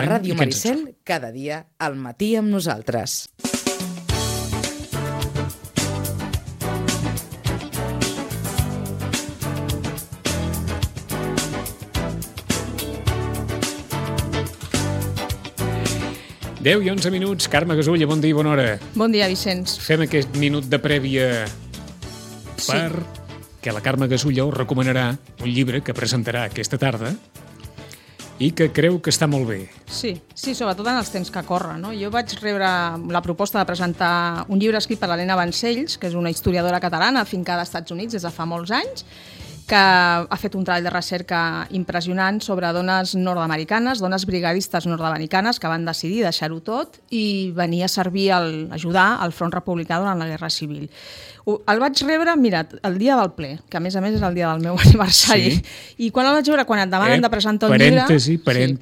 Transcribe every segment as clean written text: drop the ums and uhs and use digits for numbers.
A Ràdio Maricel, cada dia al matí amb nosaltres. Deu i 11 minuts. Carme Gasulla, bon dia i bona hora. Bon dia, Vicenç. Fem aquest minut de prèvia perquè la Carme Gasulla us recomanarà un llibre que presentarà aquesta tarda i que creu que està molt bé. Sí, sobretot en els temps que corren, no? Jo vaig rebre la proposta de presentar un llibre escrit per l'Helena Vancells, que és una historiadora catalana afincada als Estats Units des de fa molts anys, que ha fet un treball de recerca impressionant sobre dones nord-americanes, dones brigadistes nord-americanes que van decidir deixar-ho tot i venir a servir, ajudar al front republicà durant la Guerra Civil. El vaig rebre, mira, el dia del ple, que a més és el dia del meu aniversari, i quan el vaig veure, quan et demanen de presentar un llibre...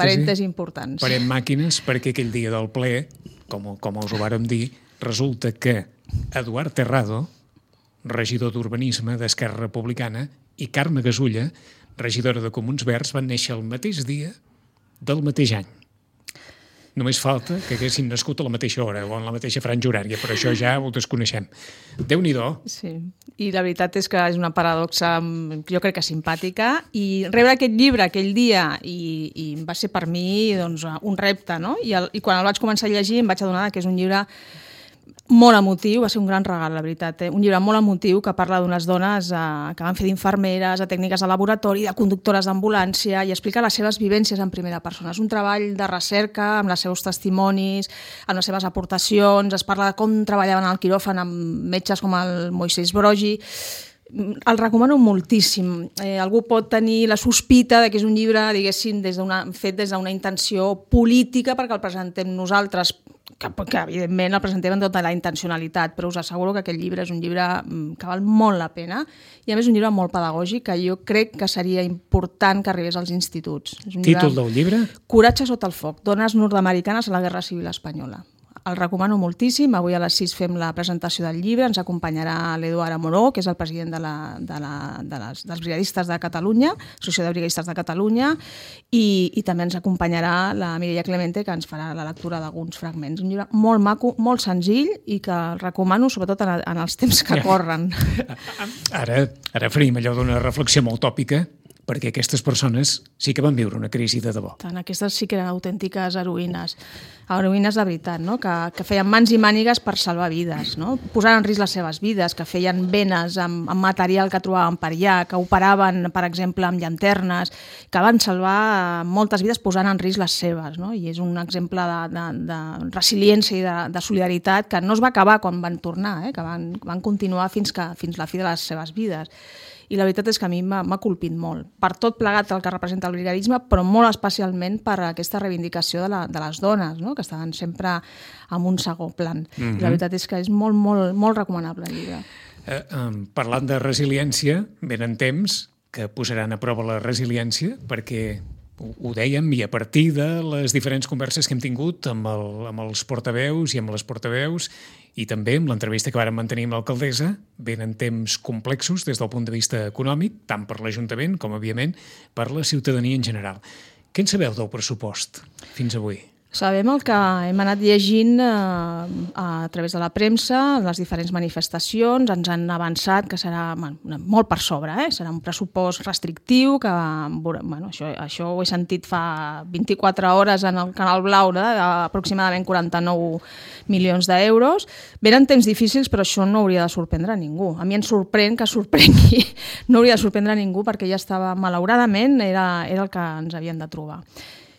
Parèntesi importants. Parem màquines, perquè aquell dia del ple, com us ho vàrem dir, resulta que Eduard Terrado, regidor d'Urbanisme d'Esquerra Republicana, i Carme Gasulla, regidora de Comuns Verds, van néixer el mateix dia del mateix any. Només falta que haguessin nascut a la mateixa hora o en la mateixa franja horària, però això ja ho desconeixem. Déu-n'hi-do. Sí, i la veritat és que és una paradoxa, jo crec que simpàtica, i rebre aquest llibre aquell dia i va ser per mi doncs, un repte, no? I quan el vaig començar a llegir em vaig adonar que és un llibre molt emotiu, va ser un gran regal, la veritat. Un llibre molt emotiu que parla d'unes dones que van fer d'infermeres, de tècniques de laboratori, de conductores d'ambulància i explica les seves vivències en primera persona. És un treball de recerca amb els seus testimonis, amb les seves aportacions, es parla de com treballaven al quiròfan amb metges com el Moisès Broggi. El recomano moltíssim. Algú pot tenir la sospita de que és un llibre, diguéssim, fet des d'una intenció política perquè el presentem nosaltres, que evidentment el presentem amb tota la intencionalitat, però us asseguro que aquest llibre és un llibre que val molt la pena i a més un llibre molt pedagògic que jo crec que seria important que arribés als instituts. Títol del llibre? Coratge sota el foc, dones nord-americanes a la Guerra Civil Espanyola. El recomano moltíssim. Avui a les 6 fem la presentació del llibre. Ens acompanyarà l'Eduard Amoró, que és el president dels Brigadistes de Catalunya, Associació de Brigadistes de Catalunya, i també ens acompanyarà la Mireia Clemente, que ens farà la lectura d'alguns fragments. Un llibre molt maco, molt senzill i que el recomano sobretot en els temps que corren. Ara faríem allò d'una reflexió molt tòpica, perquè aquestes persones sí que van viure una crisi de debò. Aquestes sí que eren autèntiques heroïnes de veritat, no? Que feien mans i mànigues per salvar vides, no? Posant en risc les seves vides, que feien venes amb material que trobaven per allà, que operaven, per exemple, amb llanternes, que van salvar moltes vides posant en risc les seves, no? I és un exemple de resiliència i de solidaritat que no es va acabar quan van tornar, que van continuar fins la fi de les seves vides. I la veritat és que a mi m'ha colpit molt, per tot plegat el que representa el brigadisme, però molt especialment per aquesta reivindicació de les dones, no? Que estaven sempre en un segon plan. I la veritat és que és molt, molt, molt recomanable el llibre. Parlant de resiliència, venen temps que posaran a prova la resiliència, perquè ho dèiem, i a partir de les diferents converses que hem tingut amb els portaveus i amb les portaveus, i també amb l'entrevista que vàrem mantenir amb l'alcaldessa, venen temps complexos des del punt de vista econòmic, tant per l'Ajuntament com, òbviament, per la ciutadania en general. Què en sabeu del pressupost fins avui? Sabem el que hem anat llegint a través de la premsa, les diferents manifestacions, ens han avançat que serà molt per sobre, serà un pressupost restrictiu, que això ho he sentit fa 24 hores en el Canal Blau, aproximadament 49 milions d'euros. Venen temps difícils, però això no hauria de sorprendre a ningú. A mi em sorprèn que sorprengui, no hauria de sorprendre a ningú perquè ja estava, malauradament, era el que ens havien de trobar.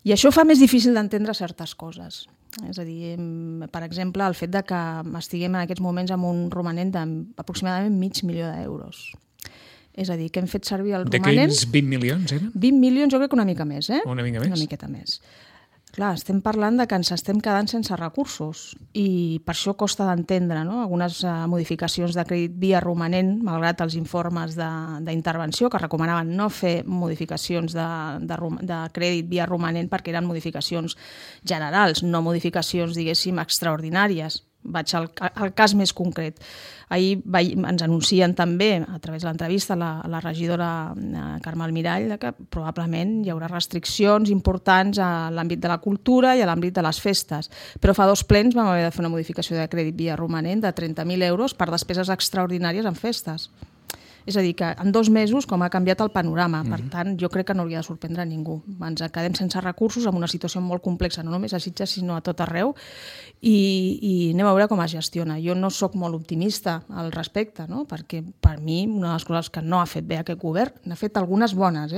I això fa més difícil d'entendre certes coses. És a dir, per exemple, el fet de que estiguem en aquests moments amb un romanent d'aproximadament $500,000. És a dir, que hem fet servir el romanent... D'aquells 20 milions, eren? 20 milions, jo crec que una mica més, Una mica més? Una miqueta més. Clar, estem parlant de que ens estem quedant sense recursos i per això costa d'entendre, no? Algunes modificacions de crèdit via romanent, malgrat els informes d'intervenció que recomanaven no fer modificacions de crèdit via romanent perquè eren modificacions generals, no modificacions, diguéssim, extraordinàries. Vaig al cas més concret. Ahir ens anuncien també, a través de l'entrevista, la regidora Carme Almirall, que probablement hi haurà restriccions importants a l'àmbit de la cultura i a l'àmbit de les festes. Però fa 2 plens vam haver de fer una modificació de crèdit via romanent de 30.000 euros per despeses extraordinàries en festes. És a dir, que en 2 mesos com ha canviat el panorama. Per tant, jo crec que no hauria de sorprendre a ningú. Ens quedem sense recursos en una situació molt complexa, no només a Sitges, sinó a tot arreu, i anem a veure com es gestiona. Jo no sóc molt optimista al respecte, no? Perquè per mi una de les coses que no ha fet bé aquest govern, n'ha fet algunes bones,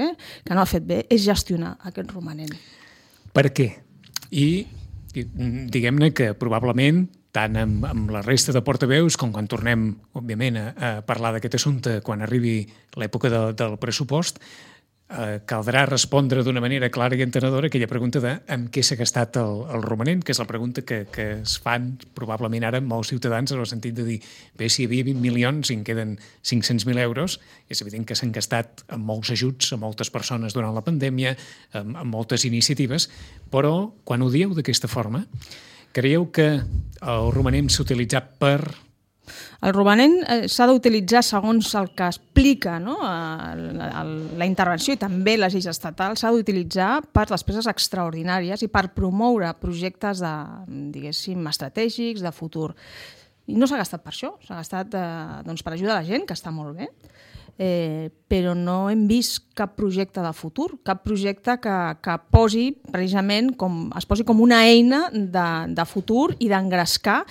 que no ha fet bé, és gestionar aquest romanent. Per què? I diguem-ne que probablement tant amb la resta de portaveus com quan tornem, òbviament, a parlar d'aquest assumpte quan arribi l'època del pressupost, caldrà respondre d'una manera clara i entenedora aquella pregunta de en què s'ha gastat el romanent, que és la pregunta que es fan probablement ara molts ciutadans en el sentit de dir, bé, si hi havia 20 milions i en queden 500.000 euros, és evident que s'han gastat amb molts ajuts a moltes persones durant la pandèmia, amb moltes iniciatives, però quan ho dieu d'aquesta forma, creieu que el romanent s'ha utilitzat per... El romanent s'ha d'utilitzar segons el que explica, no? La intervenció i també les lleis estatals, s'ha d'utilitzar per despeses extraordinàries i per promoure projectes diguéssim, estratègics, de futur. I no s'ha gastat per això, s'ha gastat per ajudar la gent, que està molt bé, però no hem vist cap projecte de futur, cap projecte que posi precisament es posi com una eina de futur i d'engrescar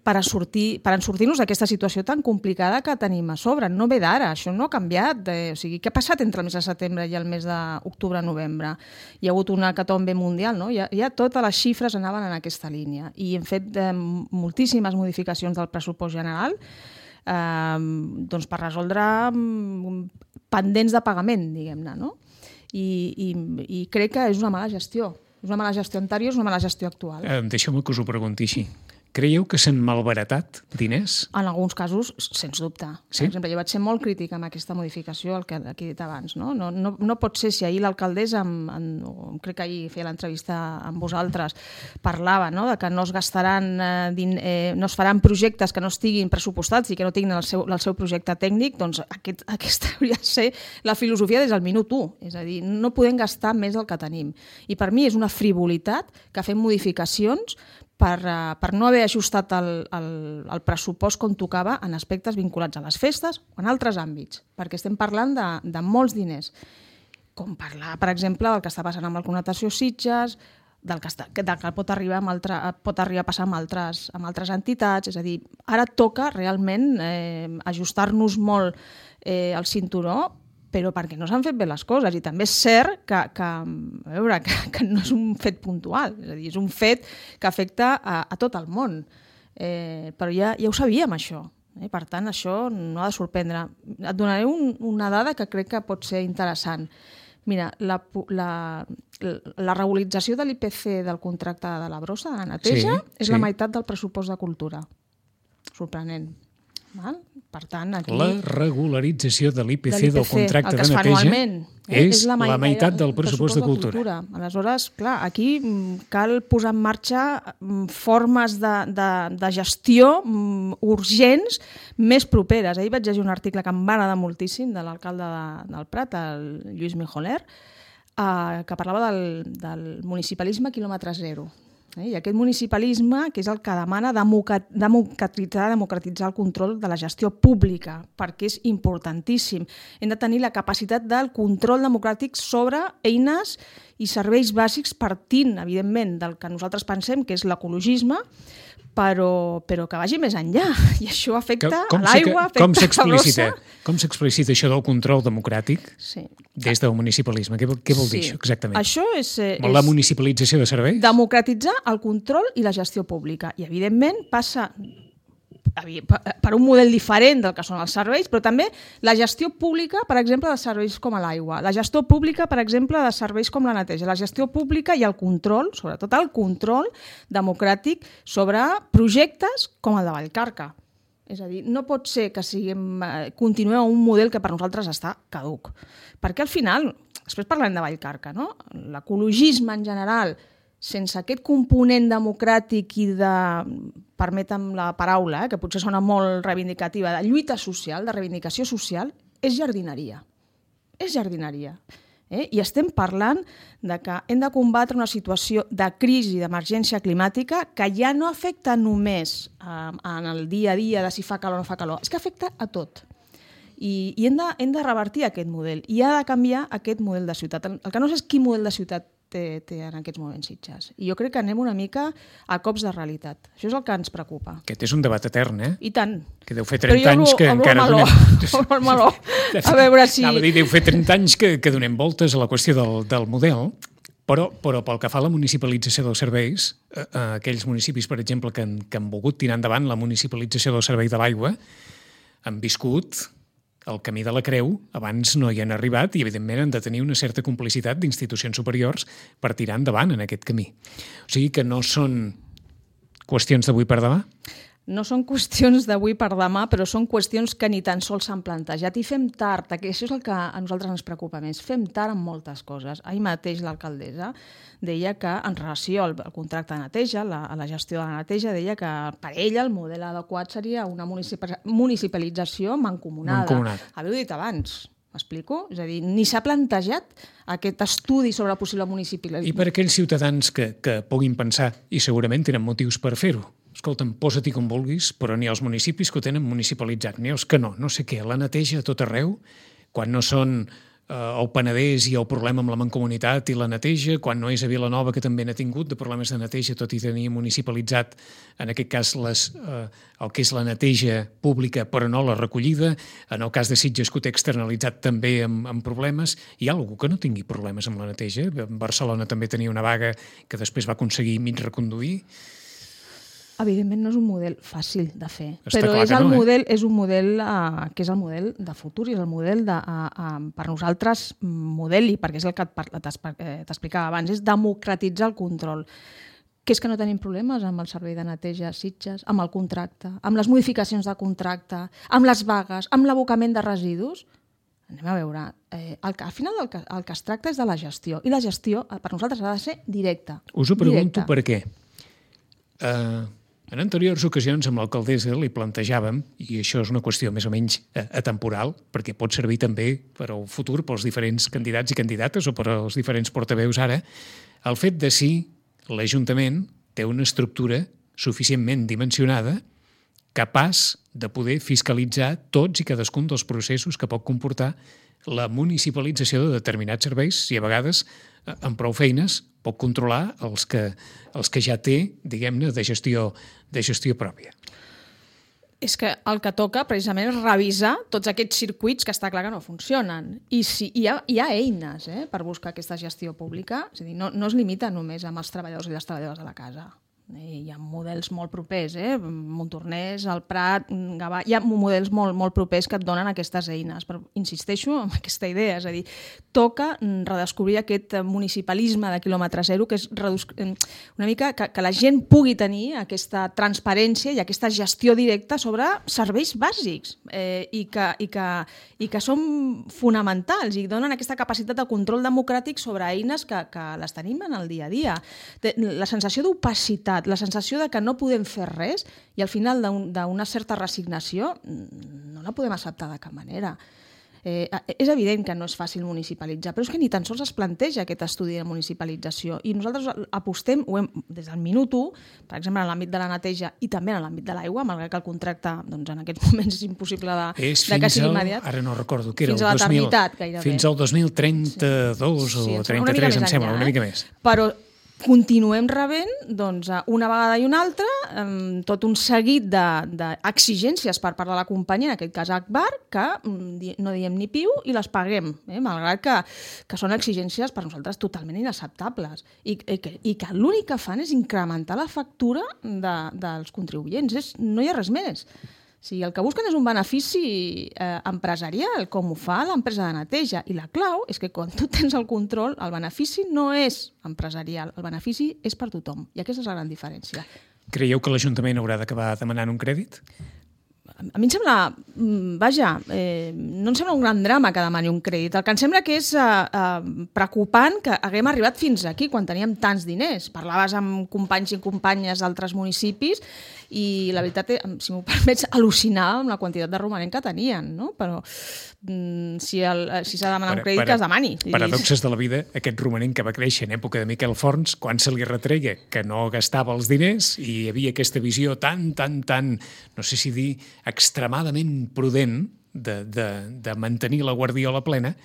per sortir-nos d'aquesta situació tan complicada que tenim a sobre. No ve d'ara, això no ha canviat. O sigui, què ha passat entre el mes de setembre i el mes d'octubre-novembre? Hi ha hagut una hecatombe mundial, no? Ja totes les xifres anaven en aquesta línia i hem fet moltíssimes modificacions del pressupost general per resoldre pendents de pagament, diguem-ne, no? I crec que és una mala gestió. És una mala gestió anterior, és una mala gestió actual. Deixeu-me que us ho pregunti així. Creieu que s'han malbaratat diners? En alguns casos, sens dubte. Sí? Per exemple, jo vaig ser molt crítica amb aquesta modificació, el que he dit abans. No pot ser, si ahir l'alcaldessa, crec que ahir feia l'entrevista amb vosaltres, parlava de que no es gastaran, no es faran projectes que no estiguin pressupostats i que no tinguin el seu projecte tècnic, doncs aquesta hauria de ser la filosofia des del minut 1. És a dir, no podem gastar més del que tenim. I per mi és una frivolitat que fem modificacions per no haver ajustat el pressupost com tocava en aspectes vinculats a les festes o en altres àmbits, perquè estem parlant de molts diners. Com parlar, per exemple, del que està passant amb el Connotació Sitges, del que pot arribar a passar amb altres entitats. És a dir, ara toca realment ajustar-nos molt el cinturó, però perquè no s'han fet bé les coses. I també és cert que no és un fet puntual, és a dir, és un fet que afecta a tot el món. Però ja ho sabíem, això. Per tant, això no ha de sorprendre. Et donaré una dada que crec que pot ser interessant. Mira, la regularització de l'IPC del contracte de la brossa, de la neteja, és la meitat del pressupost de cultura. Sorprenent. Per tant, aquí... La regularització de l'IPC del contracte de neteja és la meitat del pressupost de cultura. Aleshores, clar, aquí cal posar en marxa formes de gestió urgents més properes. Ahir vaig llegir un article que em va agradar moltíssim de l'alcalde del Prat, el Lluís Mijoler, que parlava del municipalisme quilòmetre zero. I aquest municipalisme, que és el que demana democratitzar el control de la gestió pública, perquè és importantíssim. Hem de tenir la capacitat del control democràtic sobre eines i serveis bàsics partint, evidentment, del que nosaltres pensem que és l'ecologisme, però que vagi més enllà. I això afecta a l'aigua, afecta a la brossa. Com s'explicita això del control democràtic des del municipalisme? Què vol dir això exactament? Això és la municipalització de serveis? Democratitzar el control i la gestió pública. I, evidentment, passa per un model diferent del que són els serveis, però també la gestió pública, per exemple, de serveis com l'aigua, la gestió pública, per exemple, de serveis com la neteja, la gestió pública i el control, sobretot el control democràtic sobre projectes com el de Vallcarca. És a dir, no pot ser que continuem amb un model que per nosaltres està caduc. Perquè al final, després parlem de Vallcarca, no? L'ecologisme en general, sense aquest component democràtic i permetem la paraula, que potser sona molt reivindicativa, de lluita social, de reivindicació social, és jardineria. És jardineria. I estem parlant de que hem de combatre una situació de crisi, d'emergència climàtica, que ja no afecta només en el dia a dia de si fa calor o no fa calor, és que afecta a tot. I hem de revertir aquest model, i ha de canviar aquest model de ciutat. El que no sé és quin model de ciutat té en aquests moments Sitges. I jo crec que anem una mica a cops de realitat. Això és el que ens preocupa. Aquest és un debat etern, I tant. Que deu fer 30 anys que encara donem... Obro el meló. A veure si... Anava a dir, deu fer 30 anys que donem voltes a la qüestió del model, però pel que fa a la municipalització dels serveis, aquells municipis, per exemple, que han volgut tirar endavant la municipalització del servei de l'aigua, han viscut el camí de la creu, abans no hi han arribat i, evidentment, han de tenir una certa complicitat d'institucions superiors per tirar endavant en aquest camí. O sigui que no són qüestions d'avui per demà? No són qüestions d'avui per demà, però són qüestions que ni tan sols s'han plantejat. I fem tard, que això és el que a nosaltres ens preocupa més. Fem tard en moltes coses. Ahir mateix l'alcaldessa deia que, en relació al contracte de neteja, a la gestió de la neteja, deia que per ella el model adequat seria una municipalització mancomunada. Havia dit abans. M'explico? És a dir, ni s'ha plantejat aquest estudi sobre la possible municipalització. I per aquells ciutadans que puguin pensar, i segurament tenen motius per fer-ho, escolta'm, posa-t'hi com vulguis, però n'hi ha els municipis que ho tenen municipalitzat, n'hi ha els que no sé què, la neteja a tot arreu, quan no són el Penedès i el problema amb la mancomunitat i la neteja, quan no és a Vilanova, que també n'ha tingut de problemes de neteja, tot i tenir municipalitzat, en aquest cas, el que és la neteja pública, però no la recollida, en el cas de Sitges, que ho té externalitzat també amb problemes. Hi ha algú que no tingui problemes amb la neteja? Barcelona també tenia una vaga que després va aconseguir mig reconduir. Evidentment no és un model fàcil de fer, Està però és un model que és el model de futur i és el model per nosaltres model, i perquè és el que t'explicava abans, és democratitzar el control. Que és que no tenim problemes amb el servei de neteja a Sitges, amb el contracte, amb les modificacions de contracte, amb les vagues, amb l'abocament de residus. Anem a veure, al final el que es tracta és de la gestió, i la gestió per nosaltres ha de ser directa. Us ho pregunto per què. En anteriors ocasions amb l'alcaldessa li plantejàvem, i això és una qüestió més o menys atemporal, perquè pot servir també per al futur pels diferents candidats i candidates o per als diferents portaveus ara, el fet de si l'Ajuntament té una estructura suficientment dimensionada capaç de poder fiscalitzar tots i cadascun dels processos que pot comportar la municipalització de determinats serveis, i a vegades amb prou feines pot controlar els que ja té, diguem-ne, de gestió pròpia. És que el que toca precisament és revisar tots aquests circuits que està clar que no funcionen. I hi ha eines per buscar aquesta gestió pública, és a dir, no es limita només amb els treballadors i les treballadores de la casa. Hi ha models molt propers, Montornès, el Prat, Gavà, hi ha models molt propers que et donen aquestes eines, però insisteixo en aquesta idea, és a dir, toca redescobrir aquest municipalisme de quilòmetre zero, que és una mica que la gent pugui tenir aquesta transparència i aquesta gestió directa sobre serveis bàsics i que són fonamentals i donen aquesta capacitat de control democràtic sobre eines que les tenim en el dia a dia. La sensació d'opacitat, la sensació de que no podem fer res i al final d'una certa resignació no la podem acceptar de cap manera. És evident que no és fàcil municipalitzar, però és que ni tan sols es planteja aquest estudi de municipalització i nosaltres apostem, des del minut 1, per exemple en l'àmbit de la neteja i també en l'àmbit de l'aigua, malgrat que el contracte en aquests moments és impossible de que sigui immediat. Ara no recordo, que era fins a l'eternitat gairebé. Fins al 2032 o 33, em sembla, una mica més. Però continuem rebent, una vegada i una altra, tot un seguit d'exigències per part de la companyia, en aquest cas Agbar, que no diem ni piu i les paguem, malgrat que són exigències per nosaltres totalment inacceptables i que l'únic que fan és incrementar la factura dels contribuents. No hi ha res més. Si el que busquen és un benefici empresarial, com ho fa l'empresa de neteja. I la clau és que quan tu tens el control, el benefici no és empresarial, el benefici és per tothom. I aquesta és la gran diferència. Creieu que l'Ajuntament haurà d'acabar demanant un crèdit? a mi em sembla, vaja, no em sembla un gran drama que demani un crèdit. El que em sembla que és preocupant que haguem arribat fins aquí quan teníem tants diners. Parlaves amb companys i companyes d'altres municipis i la veritat, si m'ho permets, al·lucinar amb la quantitat de romanent que tenien, no? Però si s'ha de demanar un crèdit, que es demani. Paradoxes de la vida, aquest romanent que va créixer en època de Miquel Forns, quan se li retreia que no gastava els diners i hi havia aquesta visió tan, no sé si dir, extremadament prudent de mantenir la guardiola plena,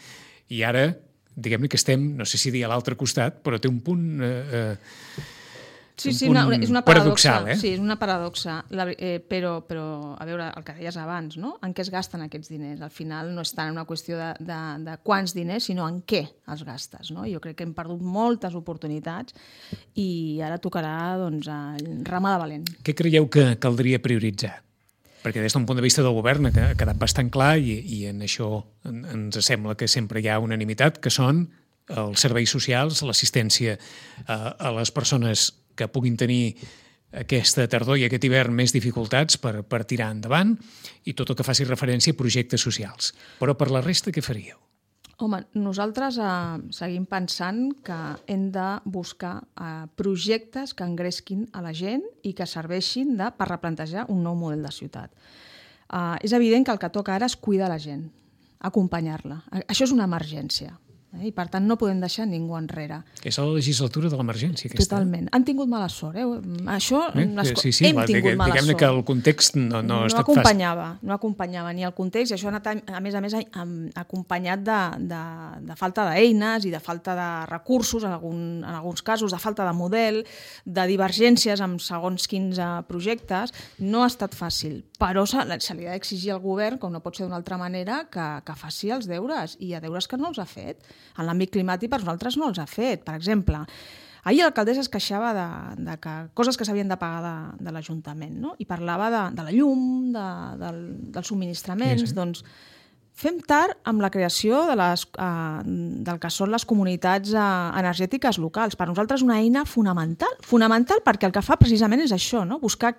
i ara, diguem-ne que estem, no sé si dir a l'altre costat, però té un punt... Sí, és una paradoxa. Paradoxal, Sí, és una paradoxa. Però, a veure, el que deies abans, no? En què es gasten aquests diners? Al final no és tant una qüestió de quants diners, sinó en què els gastes, no? Jo crec que hem perdut moltes oportunitats i ara tocarà, doncs, remar de valent. Què creieu que caldria prioritzar? Perquè des d'un punt de vista del govern ha quedat bastant clar i en això ens sembla que sempre hi ha unanimitat, que són els serveis socials, l'assistència a les persones que puguin tenir aquesta tardor i aquest hivern més dificultats per tirar endavant i tot el que faci referència a projectes socials. Però per la resta, què faríeu? Home, nosaltres seguim pensant que hem de buscar projectes que engresquin a la gent i que serveixin per replantejar un nou model de ciutat. És evident que el que toca ara és cuidar la gent, acompanyar-la. Això és una emergència. I per tant no podem deixar ningú enrere. És la legislatura de l'emergència aquesta. Totalment. Han tingut mala sort. Això, sí, hem tingut mala sort. Diguem-ne que el context no ha estat fàcil. No acompanyava ni el context, i això ha anat, a més, acompanyat de falta d'eines i de falta de recursos, en alguns casos, de falta de model, de divergències amb segons quins projectes. No ha estat fàcil, però se li ha d'exigir al govern, com no pot ser d'una altra manera, que faci els deures, i hi ha deures que no els ha fet. En l'àmbit climàtic per nosaltres no els ha fet. Per exemple, ahir l'alcaldessa es queixava de coses que s'havien de pagar de l'Ajuntament, no? I parlava de la llum, dels subministraments. Sí. Doncs fem tard amb la creació del que són les comunitats energètiques locals. Per nosaltres una eina fonamental perquè el que fa precisament és això, no? Buscar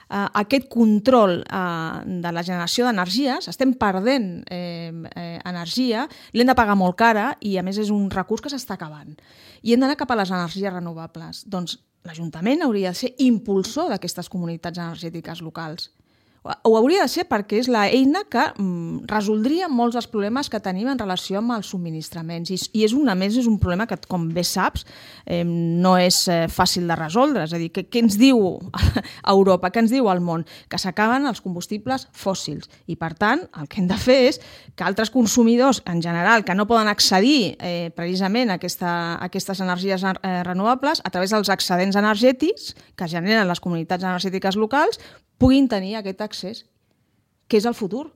aquest control de la generació d'energies. Estem perdent energia, l'hem de pagar molt cara i a més és un recurs que s'està acabant. I hem d'anar cap a les energies renovables. Doncs l'Ajuntament hauria de ser impulsor d'aquestes comunitats energètiques locals. Ho hauria de ser perquè és l'eina que resoldria molts dels problemes que tenim en relació amb els subministraments. I és un problema que, com bé saps, no és fàcil de resoldre. És a dir, què ens diu Europa, què ens diu el món? Que s'acaben els combustibles fòssils. I, per tant, el que hem de fer és que altres consumidors, en general, que no poden accedir precisament a aquestes energies renovables, a través dels excedents energètics que generen les comunitats energètiques locals, puguin tenir aquest accés, que és el futur,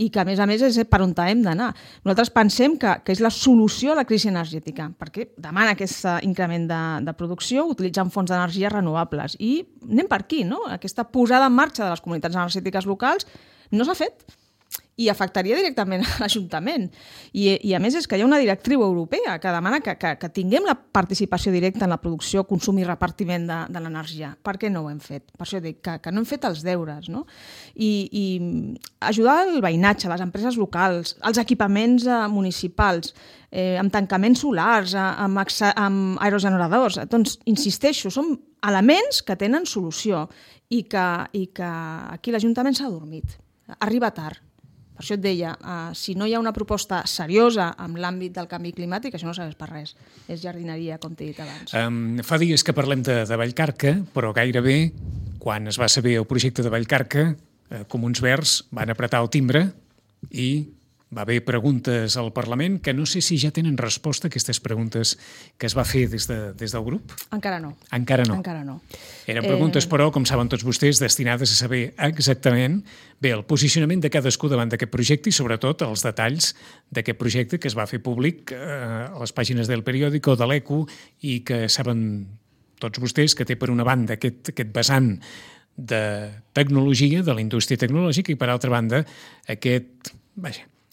i que, a més, és per on hem d'anar. Nosaltres pensem que és la solució a la crisi energètica, perquè demana aquest increment de producció utilitzant fonts d'energia renovables. I anem per aquí, no? Aquesta posada en marxa de les comunitats energètiques locals no s'ha fet i afectaria directament a l'Ajuntament. I a més és que hi ha una directriu europea que demana que tinguem la participació directa en la producció, consum i repartiment de l'energia. Per què no ho hem fet? Per això dic que no hem fet els deures, no? I ajudar el veïnatge, les empreses locals, els equipaments municipals, amb tancaments solars, amb aerogeneradors. Doncs, insisteixo, són elements que tenen solució i que aquí l'Ajuntament s'ha dormit. Arriba tard. Per això et deia, si no hi ha una proposta seriosa en l'àmbit del canvi climàtic, això no serveix per res. És jardineria, com t'he dit abans. Fa dies que parlem de Vallcarca, però gairebé, quan es va saber el projecte de Vallcarca, Comuns Verds van apretar el timbre i va haver preguntes al Parlament que no sé si ja tenen resposta a aquestes preguntes que es va fer des del grup. Encara no. Encara no. Eren preguntes, però, com saben tots vostès, destinades a saber exactament el posicionament de cadascú davant d'aquest projecte i, sobretot, els detalls d'aquest projecte que es va fer públic a les pàgines del Periódico, de l'ECO, i que saben tots vostès que té, per una banda, aquest vessant de tecnologia, de la indústria tecnològica, i, per altra banda,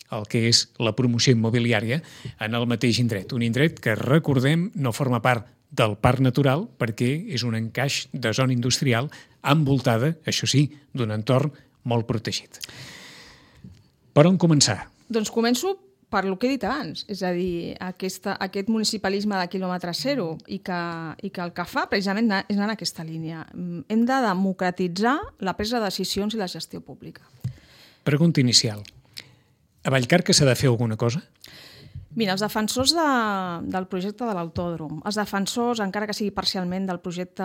el que és la promoció immobiliària en el mateix indret. Un indret que, recordem, no forma part del parc natural perquè és un encaix de zona industrial envoltada, això sí, d'un entorn molt protegit. Per on començar? Doncs començo per lo que he dit abans, és a dir, aquest municipalisme de quilòmetre zero i que el que fa precisament és anar en aquesta línia. Hem de democratitzar la presa de decisions i la gestió pública. Pregunta inicial. A Vallcarca s'ha de fer alguna cosa? Mira, els defensors del projecte de l'autòdrom, els defensors, encara que sigui parcialment, del projecte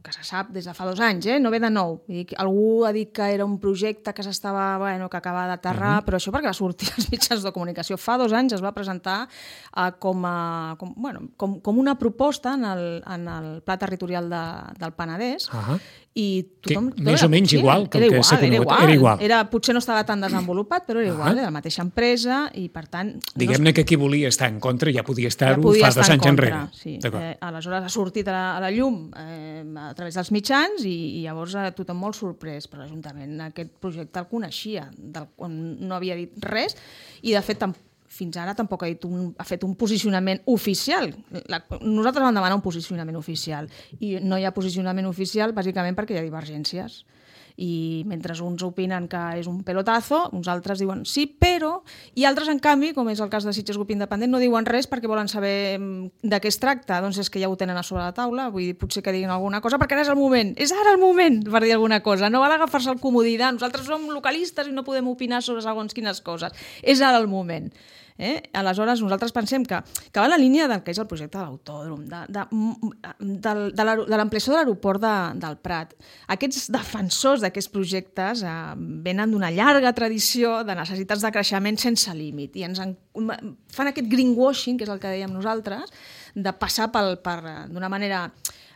que se sap des de fa 2 anys, no ve de nou. Algú ha dit que era un projecte que s'estava, que acaba d'aterrar, però això perquè va sortir als mitjans de comunicació. Fa 2 anys es va presentar com una proposta en el Pla Territorial del Penedès, i tothom... Més o menys igual que el que s'ha conegut. Era igual. Potser no estava tan desenvolupat, però era igual, era la mateixa empresa, i per tant... Diguem-ne que qui volia estar en contra ja podia estar-ho fa 2 anys enrere. Sí. Aleshores ha sortit a la llum a través dels mitjans i llavors tothom molt sorprès, però l'Ajuntament aquest projecte el coneixia, no havia dit res, i de fet fins ara tampoc ha fet un posicionament oficial. Nosaltres vam demanar un posicionament oficial i no hi ha posicionament oficial bàsicament perquè hi ha divergències. I mentre uns opinen que és un pelotazo, uns altres diuen sí, però... I altres, en canvi, com és el cas de Sitges Grup Independent, no diuen res perquè volen saber de què es tracta. Doncs és que ja ho tenen a sobre la taula, vull dir, potser que diguin alguna cosa, perquè ara és el moment per dir alguna cosa. No val agafar-se el comodí de nosaltres som localistes i no podem opinar sobre segons quines coses. És ara el moment. Aleshores, nosaltres pensem que va en la línia del que és el projecte de l'autòdrom, de l'ampliació de l'aeroport del Prat. Aquests defensors d'aquests projectes venen d'una llarga tradició de necessitats de creixement sense límit i fan aquest greenwashing, que és el que dèiem nosaltres, de passar d'una manera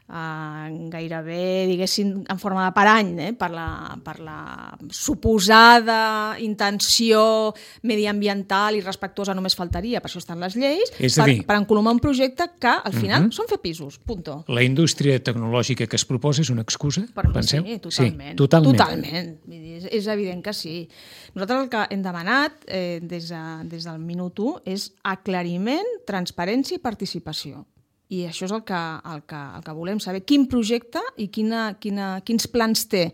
gairebé, diguéssim, en forma de parany, per la suposada intenció mediambiental i respectuosa, només faltaria, per això estan les lleis, per encolomar un projecte que al final són fer pisos, punto. La indústria tecnològica que es proposa és una excusa, penseu? Sí, totalment. És evident que sí. Nosaltres el que hem demanat des del minut 1 és aclariment, transparència i participació. I això és el que volem saber. Quin projecte i quins plans té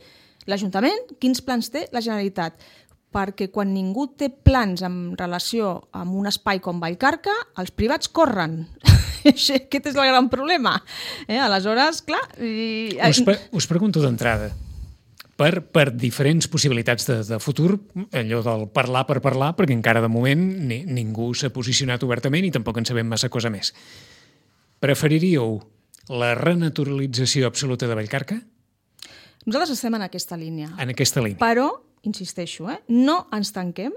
l'Ajuntament, quins plans té la Generalitat. Perquè quan ningú té plans en relació amb un espai com Vallcarca, els privats corren. Aquest és el gran problema. Aleshores, clar... Us pregunto d'entrada, per diferents possibilitats de futur, allò del parlar per parlar, perquè encara de moment ningú s'ha posicionat obertament i tampoc en sabem massa cosa més. Preferiríeu la renaturalització absoluta de Vallcarca? Nosaltres estem en aquesta línia. En aquesta línia. Però, insisteixo, no ens tanquem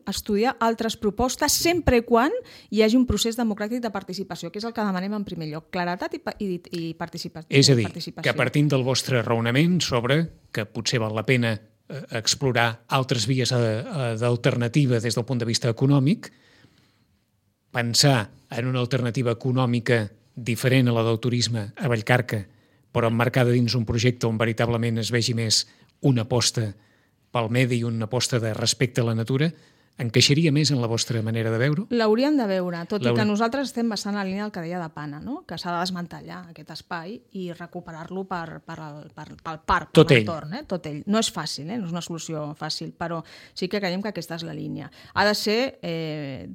a estudiar altres propostes sempre i quan hi hagi un procés democràtic de participació, que és el que demanem en primer lloc, claretat i participació. És a dir, que partint del vostre raonament sobre que potser val la pena explorar altres vies d'alternativa des del punt de vista econòmic, pensar en una alternativa econòmica diferent a la del turisme a Vallcarca, però emmarcada dins un projecte on veritablement es vegi més una aposta pel medi i una aposta de respecte a la natura, encaixaria més en la vostra manera de veure-ho? L'hauríem de veure, tot i que nosaltres estem bastant en la línia del que deia de Pana, que s'ha de desmantellar aquest espai i recuperar-lo pel parc, per l'entorn. Tot ell. No és fàcil, no és una solució fàcil, però sí que creiem que aquesta és la línia. Ha de ser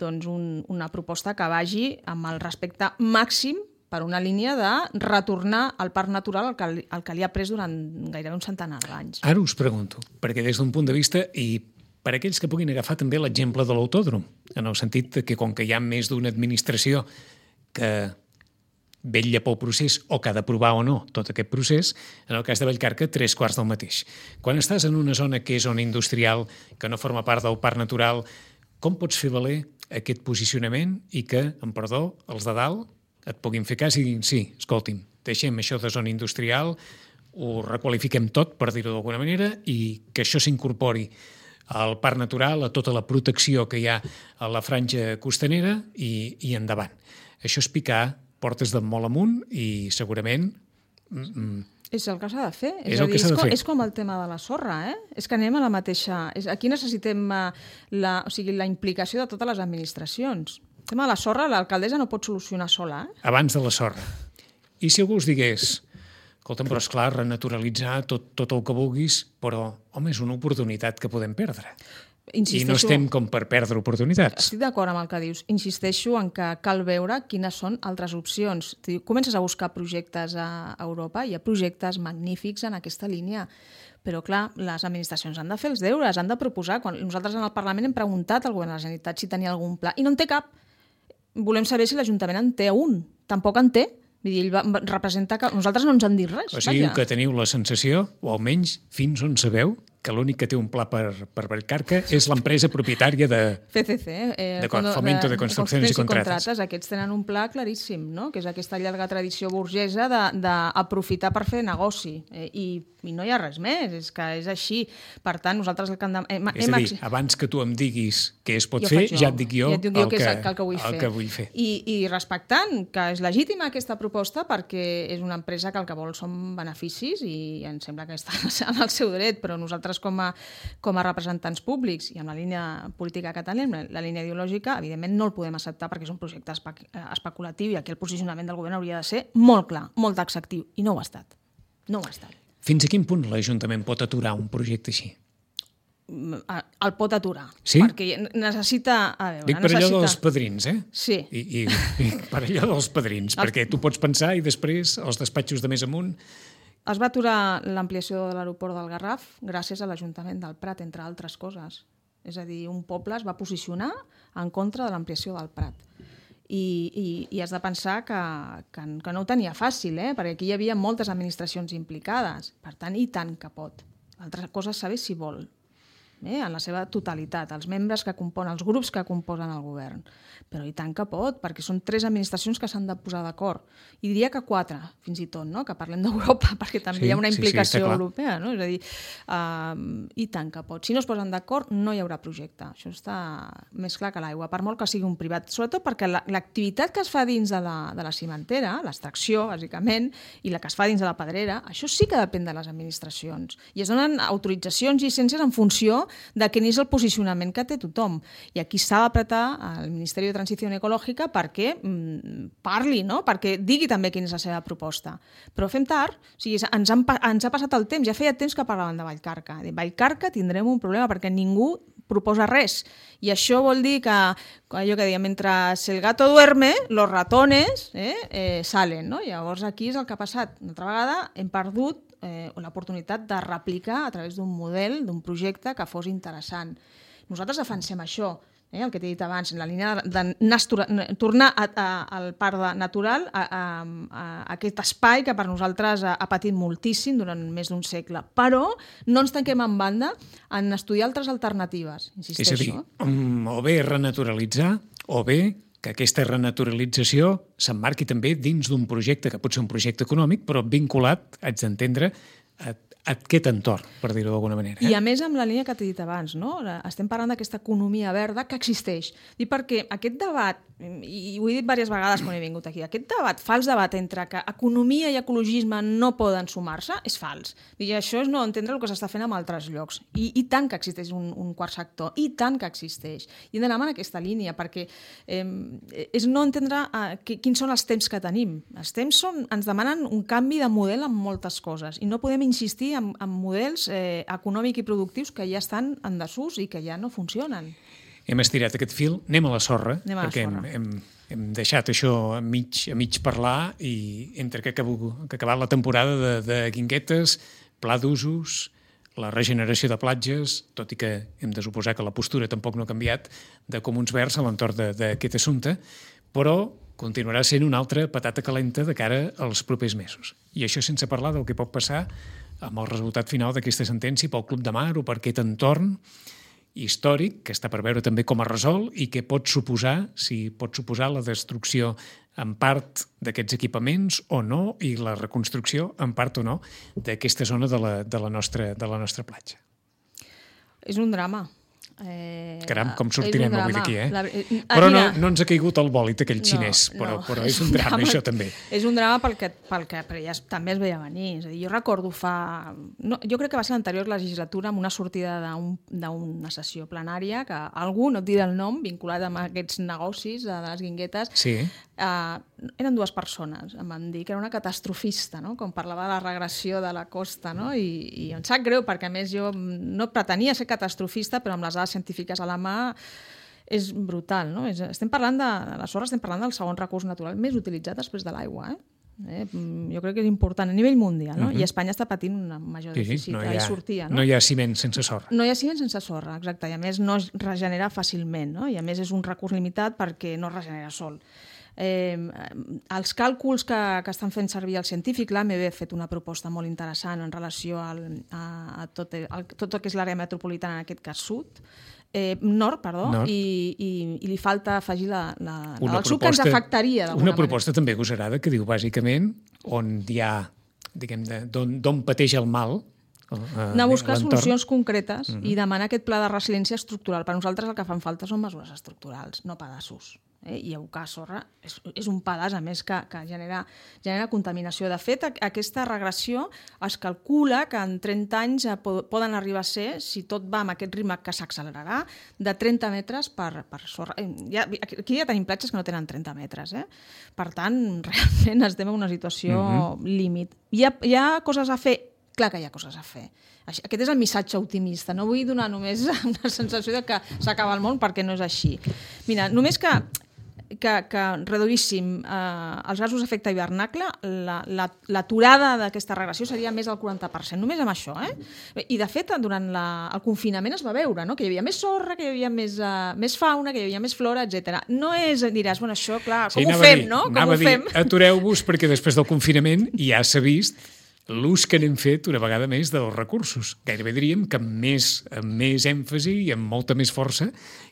una proposta que vagi amb el respecte màxim per una línia de retornar al parc natural el que li ha pres durant gairebé un centenar d'anys. Ara us pregunto, perquè des d'un punt de vista, i per aquells que puguin agafar també l'exemple de l'autòdrom, en el sentit que com que hi ha més d'una administració que vetlla pel procés o que ha d'aprovar o no tot aquest procés, en el cas de Vallcarca, 3/4 del mateix. Quan estàs en una zona que és zona industrial, que no forma part del parc natural, com pots fer valer aquest posicionament i que, amb perdó, els de dalt et puguin fer cas i diguin, sí, escolti'm, deixem això de zona industrial, ho requalifiquem tot, per dir-ho d'alguna manera, i que això s'incorpori al parc natural, a tota la protecció que hi ha a la franja costanera i endavant. Això és picar portes de molt amunt i segurament... És el que s'ha de fer. És com el tema de la sorra, És que anem a la mateixa... Aquí necessitem la implicació de totes les administracions. El tema de la sorra, l'alcaldessa no pot solucionar sola. Abans de la sorra. I si algú us digués, Escolta'm, però esclar, renaturalitzar tot el que vulguis, però, home, és una oportunitat que podem perdre. I no estem com per perdre oportunitats. Estic d'acord amb el que dius. Insisteixo en que cal veure quines són altres opcions. Comences a buscar projectes a Europa, hi ha projectes magnífics en aquesta línia, però clar, les administracions han de fer els deures, han de proposar. Quan nosaltres en el Parlament hem preguntat al govern de la Generalitat si tenia algun pla, i no en té cap. Volem saber si l'Ajuntament en té un. Tampoc en té. Vull dir, ell representa que nosaltres no ens han dit res. O sigui que teniu la sensació, o almenys fins on sabeu, que l'únic que té un pla per Vallcarca és l'empresa propietària de... FCC. Fomento de Construcciones y Contratas. Aquests tenen un pla claríssim, no? Que és aquesta llarga tradició burgesa d'aprofitar per fer negoci. I no hi ha res més, és que és així. Per tant, nosaltres el que hem... És a dir, abans que tu em diguis què es pot fer, ja et dic jo el que vull fer. I respectant que és legítima aquesta proposta perquè és una empresa que el que vol són beneficis i em sembla que està en el seu dret, però nosaltres com a representants públics i amb la línia política catalana, la línia ideològica, evidentment no el podem acceptar perquè és un projecte especulatiu i aquí el posicionament del govern hauria de ser molt clar, molt taxatiu, i no ho ha estat. No ho ha estat. Fins a quin punt l'Ajuntament pot aturar un projecte així? El pot aturar. Sí? Perquè necessita... Dic per allò dels padrins, eh? Sí. I per allò dels padrins, perquè tu pots pensar i després els despatxos de més amunt... Es va aturar l'ampliació de l'aeroport del Garraf gràcies a l'Ajuntament del Prat, entre altres coses. És a dir, un poble es va posicionar en contra de l'ampliació del Prat. I has de pensar que no ho tenia fàcil, perquè aquí hi havia moltes administracions implicades. Per tant, i tant que pot. L'altra cosa és saber si vol, en la seva totalitat, els membres que componen, els grups que composen el govern. Però i tant que pot, perquè són 3 administracions que s'han de posar d'acord. I diria que 4, fins i tot, no? Que parlem d'Europa, perquè també hi ha una implicació europea. No? És a dir, i tant que pot. Si no es posen d'acord, no hi haurà projecte. Això està més clar que l'aigua, per molt que sigui un privat. Sobretot perquè l'activitat que es fa dins de la cimentera, l'extracció, bàsicament, i la que es fa dins de la pedrera, això sí que depèn de les administracions. I es donen autoritzacions i llicències en funció de quin és el posicionament que té tothom. I aquí s'ha d'apretar al Ministeri de Transició Ecològica perquè parli, no? Perquè digui també quina és la seva proposta. Però fem tard, o sigui, ens ha passat el temps, ja feia temps que parlaven de Vallcarca. A Vallcarca tindrem un problema perquè ningú proposa res. I això vol dir que, allò que deia, mentre el gato duerme, los ratones salen, no? Llavors aquí és el que ha passat. Una altra vegada hem perdut l'oportunitat de replicar a través d'un model, d'un projecte que fos interessant. Nosaltres defensem això, el que t'he dit abans, en la línia de tornar al parc natural, a aquest espai que per nosaltres ha patit moltíssim durant més d'un segle. Però no ens tanquem en banda en estudiar altres alternatives, insisteixo. És a dir, o bé renaturalitzar, o bé que aquesta renaturalització s'emmarqui també dins d'un projecte, que pot ser un projecte econòmic, però vinculat, haig d'entendre, a aquest entorn, per dir-ho d'alguna manera. I a més amb la línia que t'he dit abans, no? Estem parlant d'aquesta economia verda que existeix. I perquè aquest debat, i ho he dit diverses vegades quan he vingut aquí, aquest debat, fals debat entre que economia i ecologisme no poden sumar-se, és fals. I això és no entendre el que s'està fent en altres llocs. I tant que existeix un quart sector, i tant que existeix. I hem d'anar en aquesta línia, perquè és no entendre quins són els temps que tenim. Els temps ens demanen un canvi de model en moltes coses, i no podem insistir en models econòmics i productius que ja estan en desús i que ja no funcionen. Hem estirat aquest fil, anem a la sorra, perquè hem deixat això a mig parlar i entre que ha acabat la temporada de guinguetes, pla d'usos, la regeneració de platges, tot i que hem de suposar que la postura tampoc no ha canviat de Comuns Verds a l'entorn d'aquest assumpte, però continuarà sent una altra patata calenta de cara als propers mesos. I això sense parlar del que pot passar amb el resultat final d'aquesta sentència pel Club de Mar o per aquest entorn històric que està per veure també com es resol i que pot suposar, si pot suposar la destrucció en part d'aquests equipaments o no i la reconstrucció en part o no d'aquesta zona de la nostra platja. És un drama. Caram, com sortirem avui d'aquí, Però no ens ha caigut el bòlit aquell xinès, però és un drama, això també. És un drama pel que però ja també es veia venir. És a dir, jo recordo jo crec que va ser l'anterior legislatura amb una sortida d'una sessió plenària que algú, no et diré el nom, vinculat amb aquests negocis de les guinguetes, eren dues persones, em van dir que era una catastrofista, no? Com parlava de la regressió de la costa, no? I em sap greu perquè a més jo no pretenia ser catastrofista, però amb les dades científiques a la mà és brutal, no? Estem parlant de la sorra, estem parlant del segon recurs natural més utilitzat després de l'aigua, jo crec que és important a nivell mundial, no? I Espanya està patint un major dèficit. No hi ha ciment sense sorra. No hi ha ciment sense sorra, exacte, i a més no es regenera fàcilment, no? I a més és un recurs limitat perquè no es regenera sol. Els càlculs que estan fent servir els científics, l'AMB ha fet una proposta molt interessant en relació a tot el que és l'àrea metropolitana, en aquest cas nord, i li falta afegir el sud que ens afectaria d'alguna manera. Una proposta també agosarada que diu bàsicament on hi ha, diguem-ne, d'on pateix el mal, anar a buscar solucions concretes i demanar aquest pla de resiliència estructural. Per nosaltres el que fan falta són mesures estructurals, no pedaços. I abocar sorra és un pedaç, a més, que genera contaminació. De fet, aquesta regressió es calcula que en 30 anys poden arribar a ser, si tot va amb aquest ritme que s'accelerarà, de 30 metres per sorra. Aquí ja tenim platges que no tenen 30 metres. Per tant, realment estem en una situació límit. Hi ha coses a fer? Clar que hi ha coses a fer. Aquest és el missatge optimista. No vull donar només una sensació de que s'acaba el món, perquè no és així. Mira, només que reduíssim els gasos d'efecte hivernacle, l'aturada d'aquesta regressió seria més del 40%, només amb això. I, de fet, durant el confinament es va veure, no? Que hi havia més sorra, que hi havia més fauna, que hi havia més flora, etc. No és, diràs, bueno, això, clar, com ho fem, no? Com ho fem? Atureu-vos, perquè després del confinament ja s'ha vist l'ús que n'hem fet una vegada més dels recursos. Gairebé diríem que amb més èmfasi i amb molta més força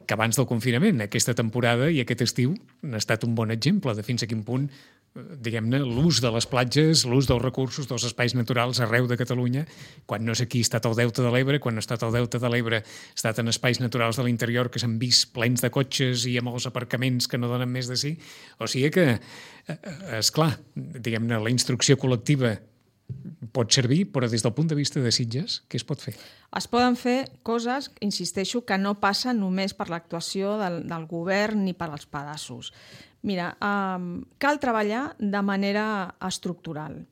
que abans del confinament. Aquesta temporada i aquest estiu han estat un bon exemple de fins a quin punt, diguem-ne, l'ús de les platges, l'ús dels recursos, dels espais naturals arreu de Catalunya, quan no és aquí ha estat el Delta de l'Ebre, quan no ha estat el Delta de l'Ebre ha estat en espais naturals de l'interior que s'han vist plens de cotxes i amb els aparcaments que no donen més de si. O sigui que, esclar, diguem-ne, la instrucció col·lectiva pot servir, però des del punt de vista de Sitges, què es pot fer? Es poden fer coses, insisteixo, que no passen només per l'actuació del govern ni per als pedaços. Mira, cal treballar de manera estructural.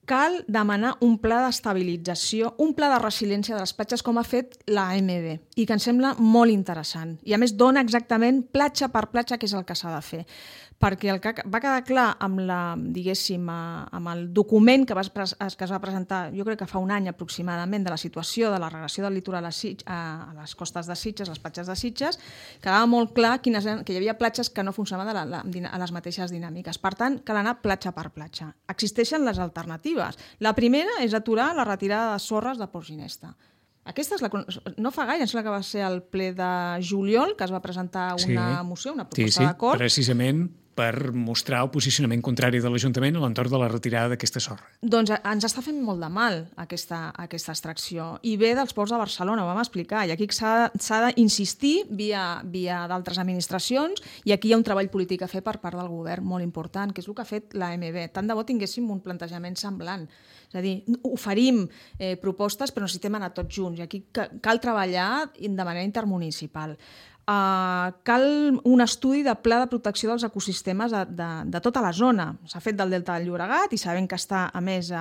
Cal demanar un pla d'estabilització, un pla de resiliència de les platges, com ha fet l'AMB, i que em sembla molt interessant. I, a més, dona exactament platja per platja què és el que s'ha de fer. Perquè el que va quedar clar amb amb el document que es va presentar, jo crec que fa un any aproximadament, de la situació de la regressió del litoral a les costes de Sitges, les platges de Sitges, quedava molt clar que hi havia platges que no funcionaven a les mateixes dinàmiques. Per tant, cal anar platja per platja. Existeixen les alternatives. La primera és aturar la retirada de sorres de Port Ginesta. Aquesta no fa gaire, em sembla que va ser el ple de juliol, que es va presentar una moció, una proposta d'acord. Precisament per mostrar el posicionament contrari de l'Ajuntament a l'entorn de la retirada d'aquesta sorra. Doncs ens està fent molt de mal aquesta extracció. I ve dels ports de Barcelona, ho vam explicar. I aquí s'ha d'insistir via d'altres administracions, i aquí hi ha un treball polític a fer per part del govern molt important, que és el que ha fet l'AMB. Tant de bo tinguéssim un plantejament semblant. És a dir, oferim propostes, però necessitem anar tots junts. I aquí cal treballar de manera intermunicipal. Cal un estudi de pla de protecció dels ecosistemes de tota la zona. S'ha fet del Delta del Llobregat i sabem que està, a més,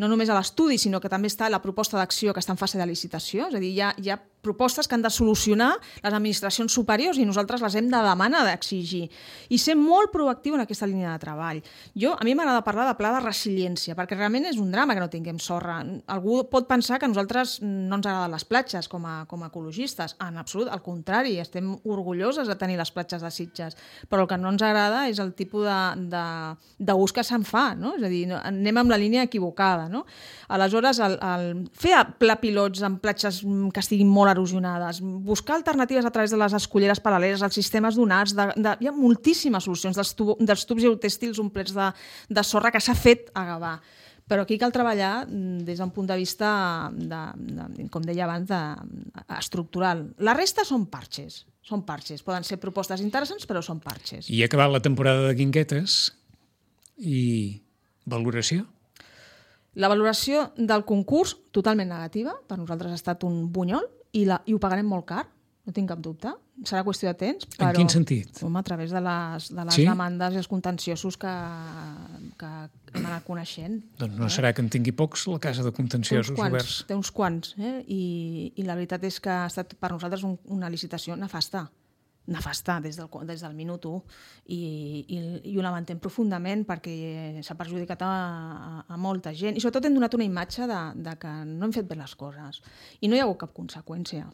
no només a l'estudi, sinó que també està la proposta d'acció que està en fase de licitació. És a dir, hi ha propostes que han de solucionar les administracions superiors i nosaltres les hem de demanar, d'exigir. I ser molt proactiu en aquesta línia de treball. A mi m'agrada parlar de pla de resiliència, perquè realment és un drama que no tinguem sorra. Algú pot pensar que a nosaltres no ens agraden les platges com a ecologistes. En absolut, al contrari, estem orgulloses de tenir les platges de Sitges, però el que no ens agrada és el tipus d'ús que se'n fa, no? És a dir, anem amb la línia equivocada, no? Aleshores, fer pla pilots en platges que estiguin molt erosionades, buscar alternatives a través de les esculleres paral·leles, els sistemes donats, hi ha moltíssimes solucions, dels tubs geotèxtils omplets de sorra que s'ha fet a Gavà. Però aquí cal treballar des d'un punt de vista, com deia abans, estructural. La resta són parxes. Poden ser propostes interessants, però són parxes. I ha acabat la temporada de guinguetes i valoració? La valoració del concurs, totalment negativa. Per nosaltres ha estat un bunyol i ho pagarem molt car. no tinc cap dubte. Serà qüestió de temps, però... En quin sentit? Home, a través de les Sí? demandes i els contenciosos que hem anat coneixent. Doncs no serà que en tingui pocs la casa de contenciosos oberts. Té uns quants, I la veritat és que ha estat per nosaltres una licitació nefasta des del minut 1 i ho lamentem profundament perquè s'ha perjudicat a molta gent i sobretot hem donat una imatge de que no hem fet bé les coses i no hi ha hagut cap conseqüència.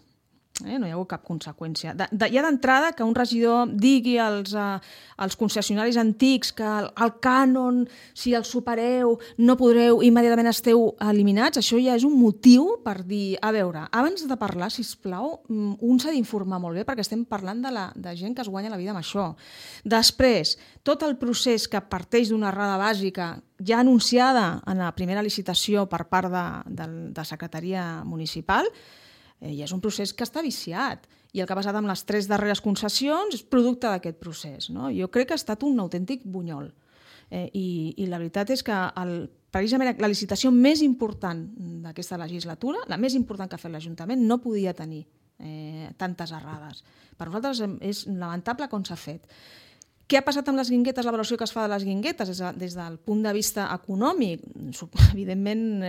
No hi ha hagut cap conseqüència. Ja d'entrada que un regidor digui als concessionaris antics que el cànon, si el supereu, no podreu, immediatament esteu eliminats, això ja és un motiu per dir, a veure, abans de parlar, sisplau, un s'ha d'informar molt bé perquè estem parlant de gent que es guanya la vida amb això. Després, tot el procés que parteix d'una errada bàsica ja anunciada en la primera licitació per part de Secretaria Municipal, i és un procés que està viciat i el que ha passat amb les 3 darreres concessions és producte d'aquest procés. No? Jo crec que ha estat un autèntic bunyol i la veritat és que precisament la licitació més important d'aquesta legislatura, la més important que ha fet l'Ajuntament, no podia tenir tantes errades. Per nosaltres és lamentable com s'ha fet. Què ha passat amb les guinguetes, la valoració que es fa de les guinguetes des del punt de vista econòmic? Evidentment,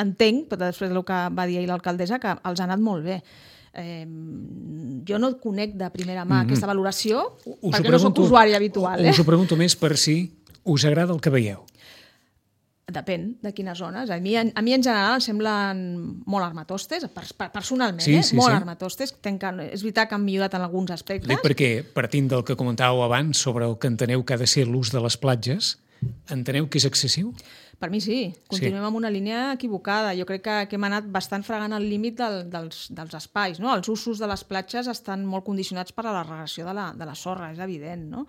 entenc, però després del que va dir ahir l'alcaldessa, que els ha anat molt bé. Jo no conec de primera mà aquesta valoració, perquè no soc usuari habitual. Us ho pregunto més per si us agrada el que veieu. Depèn de quines zones. A mi en general em semblen molt armatostes, personalment, molt armatostes. És veritat que han millorat en alguns aspectes. Dic perquè, partint del que comentàveu abans sobre el que enteneu que ha de ser l'ús de les platges, enteneu que és excessiu? Per mi sí. Continuem amb una línia equivocada. Jo crec que hem anat bastant fregant el límit dels espais. No? Els usos de les platges estan molt condicionats per la regressió de la sorra, és evident, no?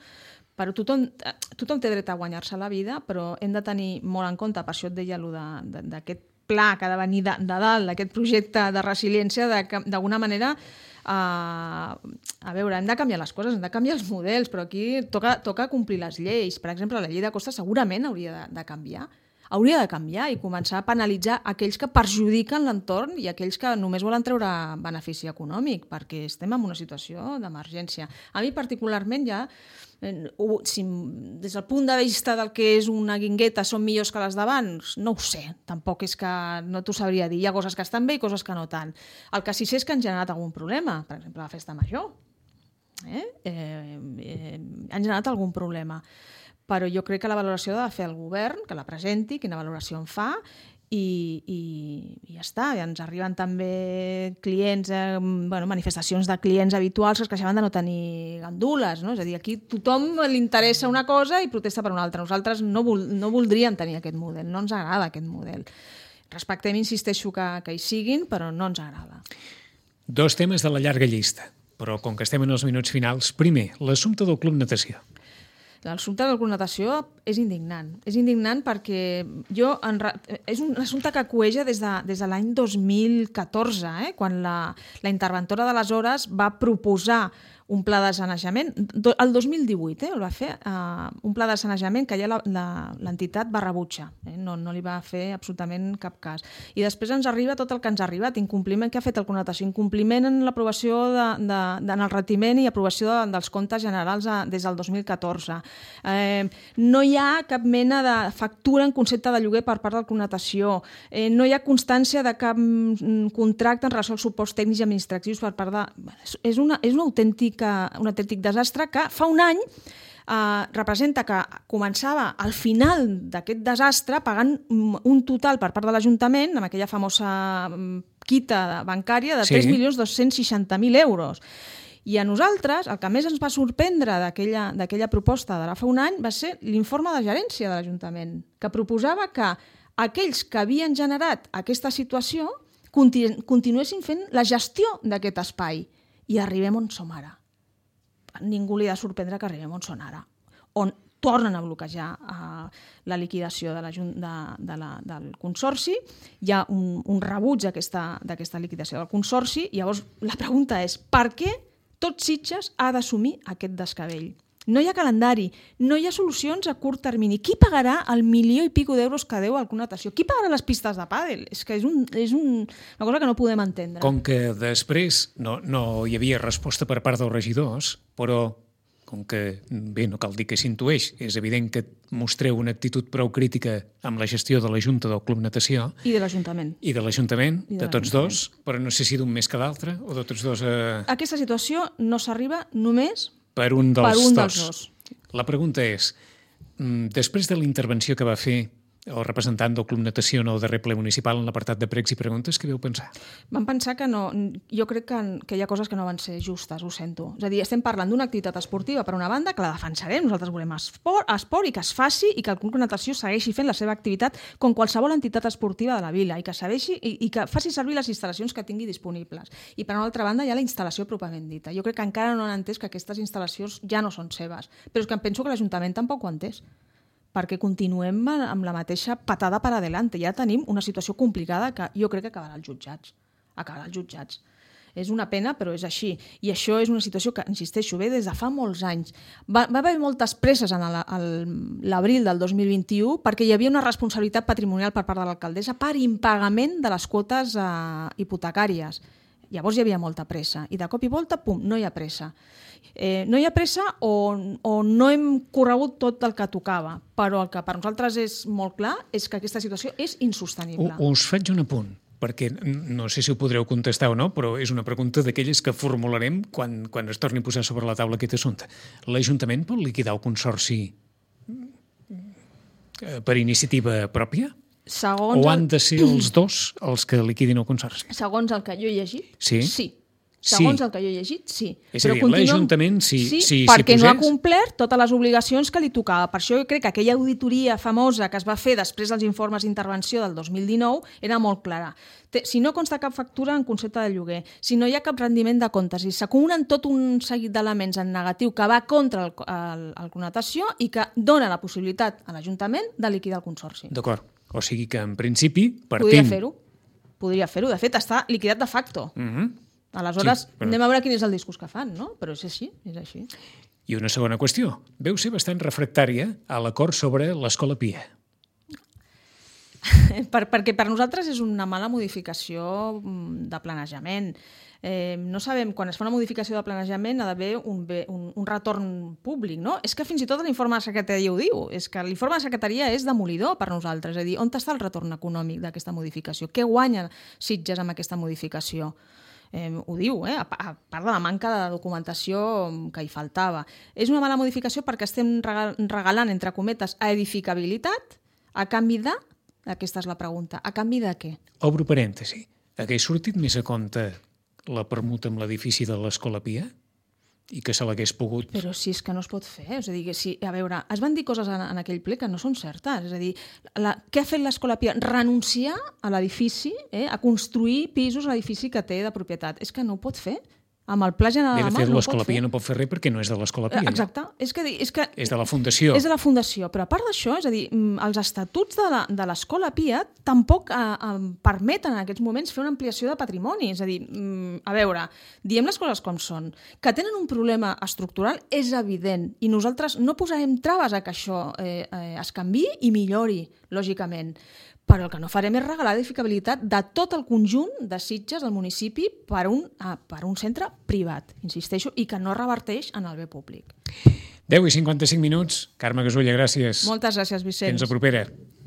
Però tothom té dret a guanyar-se la vida, però hem de tenir molt en compte, per això et deia d'aquest pla que ha de venir de dalt, d'aquest projecte de resiliència, d'alguna manera, a veure, hem de canviar les coses, hem de canviar els models, però aquí toca complir les lleis. Per exemple, la llei de costes segurament hauria de canviar. Hauria de canviar i començar a penalitzar aquells que perjudiquen l'entorn i aquells que només volen treure benefici econòmic, perquè estem en una situació d'emergència. A mi particularment ja, si des del punt de vista del que és una guingueta són millors que les d'abans, no ho sé, tampoc és que no t'ho sabria dir. Hi ha coses que estan bé i coses que no tant. El que sí sé és que han generat algun problema, per exemple la festa major. Han generat algun problema. Però jo crec que la valoració ha de fer el govern, que la presenti, quina valoració en fa, i ja està. I ens arriben també clients, manifestacions de clients habituals que es queixaven de no tenir gandules. No? És a dir, aquí tothom li interessa una cosa i protesta per una altra. Nosaltres no voldríem tenir aquest model, no ens agrada aquest model. Respectem, insisteixo, que hi siguin, però no ens agrada. 2 temes de la llarga llista, però com que estem en els minuts finals, primer, l'assumpte del Club Natació. L'assumpte de la connotació és indignant. És indignant perquè és un assumpte que cueja des de l'any 2014, quan la interventora d'aleshores va proposar un pla de sanejament, el 2018 el va fer, un pla de sanejament que ja l'entitat va rebutjar, no li va fer absolutament cap cas. I després ens arriba tot el que ens ha arribat, incompliment que ha fet el Connotació, incompliment en l'aprovació en el retiment i aprovació dels comptes generals des del 2014. No hi ha cap mena de factura en concepte de lloguer per part del Connotació, no hi ha constància de cap contracte en relació als suports tècnics i administratius per part de... És un autèntic desastre que fa un any representa que començava al final d'aquest desastre pagant un total per part de l'Ajuntament amb aquella famosa quita bancària de 3.260.000 euros. I a nosaltres, el que més ens va sorprendre d'aquella proposta d'ara fa un any va ser l'informe de gerència de l'Ajuntament, que proposava que aquells que havien generat aquesta situació continuessin fent la gestió d'aquest espai. I arribem on som ara. Ningú li ha de sorprendre que arribem on són ara, on tornen a bloquejar la liquidació del Consorci, hi ha un rebuig d'aquesta liquidació del Consorci, i llavors la pregunta és per què tot Sitges ha d'assumir aquest descabell? No hi ha calendari, no hi ha solucions a curt termini. Qui pagarà el 1.000.000 i pico d'euros que deu alguna natació? Qui pagarà les pistes de pàdel? És que és una cosa que no podem entendre. Com que després no hi havia resposta per part dels regidors, però com que, bé, no cal dir que s'intueix, és evident que mostreu una actitud prou crítica amb la gestió de la Junta del Club Natació. I de l'Ajuntament. I de l'Ajuntament, de tots dos, però no sé si d'un més que d'altre, o de tots dos... Aquesta situació no s'arriba només per un dels dos. La pregunta és, després de la intervenció que va fer el representant del Club Natació en el darrer ple municipal en l'apartat de pregs i preguntes, què vau pensar? Vam pensar que no... Jo crec que hi ha coses que no van ser justes, ho sento. És a dir, estem parlant d'una activitat esportiva per una banda, que la defensarem, nosaltres volem esport i que es faci i que el Club Natació segueixi fent la seva activitat com qualsevol entitat esportiva de la vila i que segueixi i que faci servir les instal·lacions que tingui disponibles. I per una altra banda hi ha la instal·lació pròpiament dita. Jo crec que encara no han entès que aquestes instal·lacions ja no són seves, però és que em penso que l'Ajuntament tampoc ho ha entès, perquè continuem amb la mateixa patada per adelante. Ja tenim una situació complicada que jo crec que acabarà als jutjats. És una pena, però és així. I això és una situació que, insisteixo, ve des de fa molts anys. Va haver moltes presses en l'abril del 2021 perquè hi havia una responsabilitat patrimonial per part de l'alcaldessa per impagament de les quotes hipotecàries. Llavors hi havia molta pressa. I de cop i volta, pum, no hi ha pressa. No hi ha pressa o no hem corregut tot el que tocava, però el que per nosaltres és molt clar és que aquesta situació és insostenible. Us faig un apunt, perquè no sé si ho podreu contestar o no, però és una pregunta d'aquelles que formularem quan es torni a posar sobre la taula aquest assumpte. L'Ajuntament pot liquidar el consorci per iniciativa pròpia? O han de ser els dos els que liquidin el consorci? Segons el que jo he llegit, sí. El que jo he llegit, sí. És a dir, l'Ajuntament, si perquè posés... no ha complert totes les obligacions que li tocava. Per això jo crec que aquella auditoria famosa que es va fer després dels informes d'intervenció del 2019 era molt clara. Si no consta cap factura en concepte de lloguer, si no hi ha cap rendiment de comptes i s'acumulen tot un seguit d'elements en negatiu que va contra el connotació i que dona la possibilitat a l'Ajuntament de liquidar el consorci. D'acord. O sigui que, en principi, partim... Podria fer-ho. De fet, està liquidat de facto. Aleshores, anem a veure quin és el discurs que fan, no? Però és així, és així. I una segona qüestió. Veu ser bastant refractària a l'acord sobre l'Escola Pia. Perquè per nosaltres és una mala modificació de planejament. No sabem, quan es fa una modificació de planejament ha d'haver un retorn públic, no? És que fins i tot l'informe de secretaria ho diu, és que l'informe de secretaria és demolidor per nosaltres, és a dir, on està el retorn econòmic d'aquesta modificació? Què guanya Sitges amb aquesta modificació? Ho diu, a part de la manca de documentació que hi faltava. És una mala modificació perquè estem regalant, entre cometes, a edificabilitat a canvi de... Aquesta és la pregunta. A canvi de què? Obro parèntesi. Hagués sortit més a compte la permuta amb l'edifici de l'Escola Pia i que se l'hagués pogut... Però si és que no es pot fer. És a dir, a veure, es van dir coses en aquell ple que no són certes. És a dir, què ha fet l'Escola Pia? Renunciar a l'edifici, a construir pisos a l'edifici que té de propietat. És que no ho pot fer. Amb el pla general de fet, l'Escola Pia no pot fer res perquè no és de l'Escola Pia. Exacte. És que és de la Fundació. És de la Fundació. Però a part d'això, és a dir, els estatuts de l'Escola Pia tampoc permeten en aquests moments fer una ampliació de patrimoni. És a dir, a veure, diem les coses com són. Que tenen un problema estructural és evident i nosaltres no posarem traves a que això es canviï i millori, lògicament. Però el que no farem és regalar edificabilitat de tot el conjunt de Sitges del municipi per un centre privat, insisteixo, i que no reverteix en el bé públic. 10:55. Carme Gasulla, gràcies. Moltes gràcies, Vicenç. Fins la propera.